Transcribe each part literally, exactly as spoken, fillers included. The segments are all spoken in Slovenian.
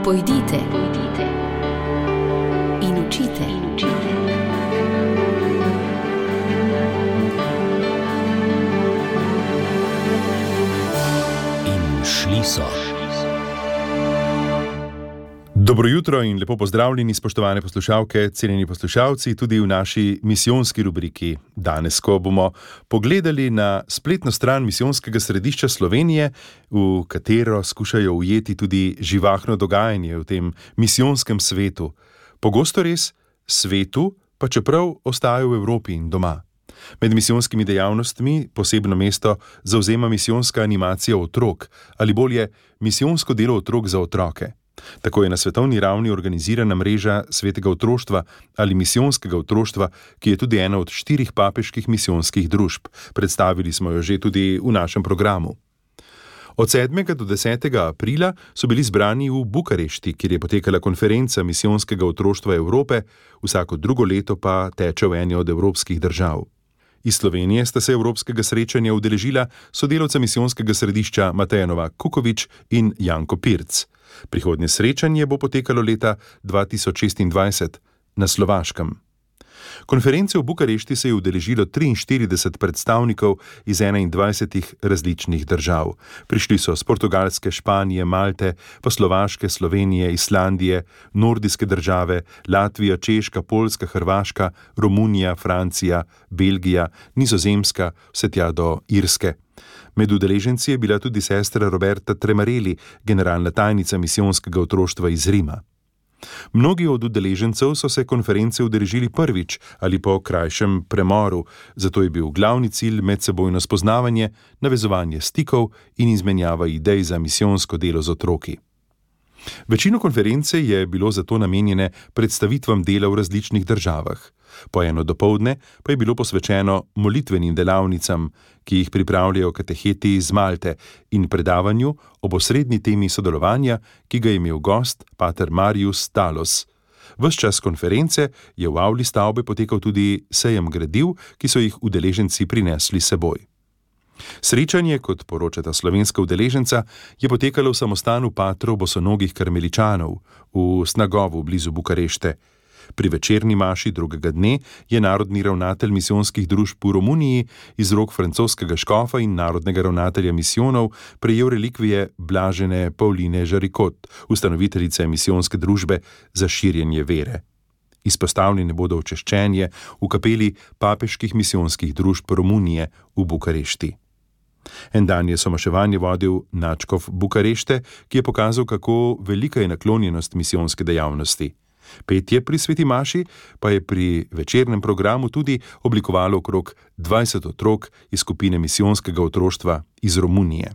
Pojdite, pojdite in učite, in učite. In šli so. Dobro jutro in lepo pozdravljeni, spoštovane poslušalke, cenjeni poslušalci, tudi v naši misijonski rubriki. Danes, ko bomo pogledali na spletno stran Misijonskega središča Slovenije, v katero skušajo ujeti tudi živahno dogajanje v tem misijonskem svetu. Pogosto res svetu, pa čeprav ostajajo v Evropi in doma. Med misijonskimi dejavnostmi posebno mesto zavzema misijonska animacija otrok, ali bolje misijonsko delo otrok za otroke. Tako je na svetovni ravni organizirana mreža svetega otroštva ali misijonskega otroštva, ki je tudi ena od štirih papeških misijonskih družb. Predstavili smo jo že tudi v našem programu. Od sedmega do desetega aprila so bili zbrani v Bukarešti, kjer je potekala konferenca misijonskega otroštva Evrope, vsako drugo leto pa teče v eni od evropskih držav. Iz Slovenije sta se evropskega srečanja udeležila sodelavca misijonskega središča Mateja Novak Kukovič in Janko Pirc. Prihodnje srečanje bo potekalo leta dva tisoč šestindvajset na Slovaškem. Konference v Bukarešti se je udeležilo triinštirideset predstavnikov iz enaindvajsetih različnih držav. Prišli so z Portugalske, Španije, Malte, pa Slovaške, Slovenije, Islandije, nordijske države, Latvija, Češka, Poljska, Hrvaška, Romunija, Francija, Belgija, Nizozemska, vse tja do Irske. Med udeleženci je bila tudi sestra Roberta Tremareli, generalna tajnica misijonskega otroštva iz Rima. Mnogi od udeležencev so se konference udeležili prvič ali po krajšem premoru, zato je bil glavni cilj medsebojno spoznavanje, navezovanje stikov in izmenjava idej za misijonsko delo z otroki. Večino konference je bilo zato namenjene predstavitvam dela v različnih državah. Po eno dopoldne pa je bilo posvečeno molitvenim delavnicam, ki jih pripravljajo kateheti iz Malte, in predavanju ob osrednji temi sodelovanja, ki ga je imel gost pater Marius Talos. Ves čas konference je v avli stavbe potekal tudi sejem gradiv, ki so jih udeleženci prinesli s seboj. Srečanje, kot poročata slovenska udeleženca, je potekalo v samostanu patrov bosonogih karmeličanov v Snagovu blizu Bukarešte. Pri večerni maši drugega dne je narodni ravnatelj misijonskih družb v Romuniji iz rok francoskega škofa in narodnega ravnatelja misijonov prejel relikvije blažene Pauline Žarikot, ustanoviteljice misijonske družbe za širjenje vere. Izpostavljene bodo očeščenje v kapeli papeških misijonskih družb Romunije v Bukarešti. En dan je somaševanje vodil nadškof Bukarešte, ki je pokazal, kako velika je naklonjenost misijonske dejavnosti. Petje pri sveti maši pa je pri večernem programu tudi oblikovalo okrog dvajset otrok iz skupine misijonskega otroštva iz Romunije.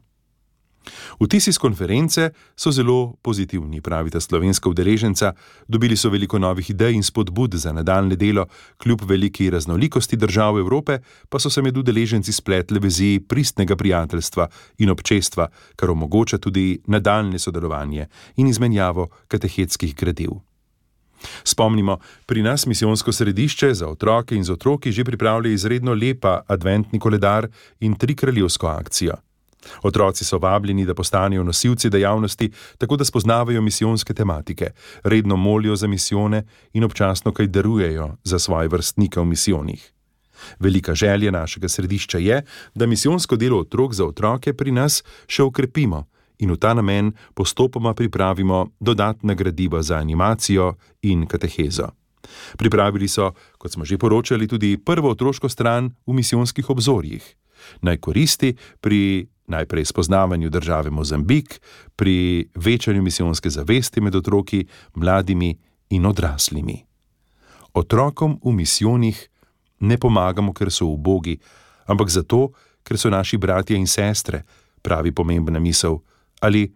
Vtisi z konference so zelo pozitivni, pravita slovenska udeleženca. Dobili so veliko novih idej in spodbud za nadaljne delo, kljub veliki raznolikosti držav Evrope pa so se med udeleženci spletle vezi pristnega prijateljstva in občestva, kar omogoča tudi nadaljne sodelovanje in izmenjavo katehetskih gradiv. Spomnimo, pri nas misijonsko središče za otroke in z otroki že pripravlja izredno lepa adventni koledar in trikraljevsko akcijo. Otroci so vabljeni, da postanejo nosilci dejavnosti, tako da spoznavajo misijonske tematike, redno molijo za misijone in občasno kaj darujejo za svoje vrstnike v misijonih. Velika želja našega središča je, da misijonsko delo otrok za otroke pri nas še okrepimo in v ta namen postopoma pripravimo dodatna gradiva za animacijo in katehezo. Pripravili so, kot smo že poročali, tudi prvo otroško stran v misijonskih obzorjih. Naj koristi pri najprej spoznavanju države Mozambik, pri večanju misijonske zavesti med otroki, mladimi in odraslimi. Otrokom v misijonih ne pomagamo, ker so ubogi, ampak zato, ker so naši bratje in sestre, pravi pomembna misel. Ali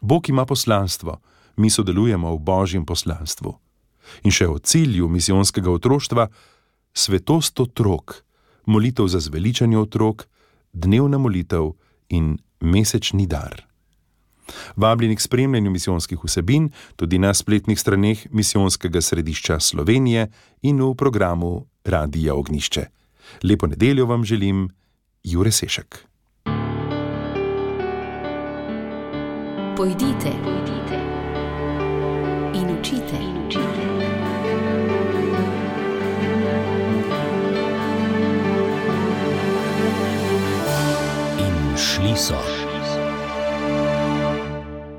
Bog ima poslanstvo, mi sodelujemo v Božjem poslanstvu. In še o cilju misijonskega otroštva: svetost otrok, molitev za zveličanje otrok, dnevna molitev in mesečni dar. Vabljeni k spremljanju misijonskih vsebin tudi na spletnih straneh Misijonskega središča Slovenije in v programu Radija Ognjišče. Lepo nedeljo vam želim, Jure Sešek. Pojdite, pojdite učite. In učite. In šli so.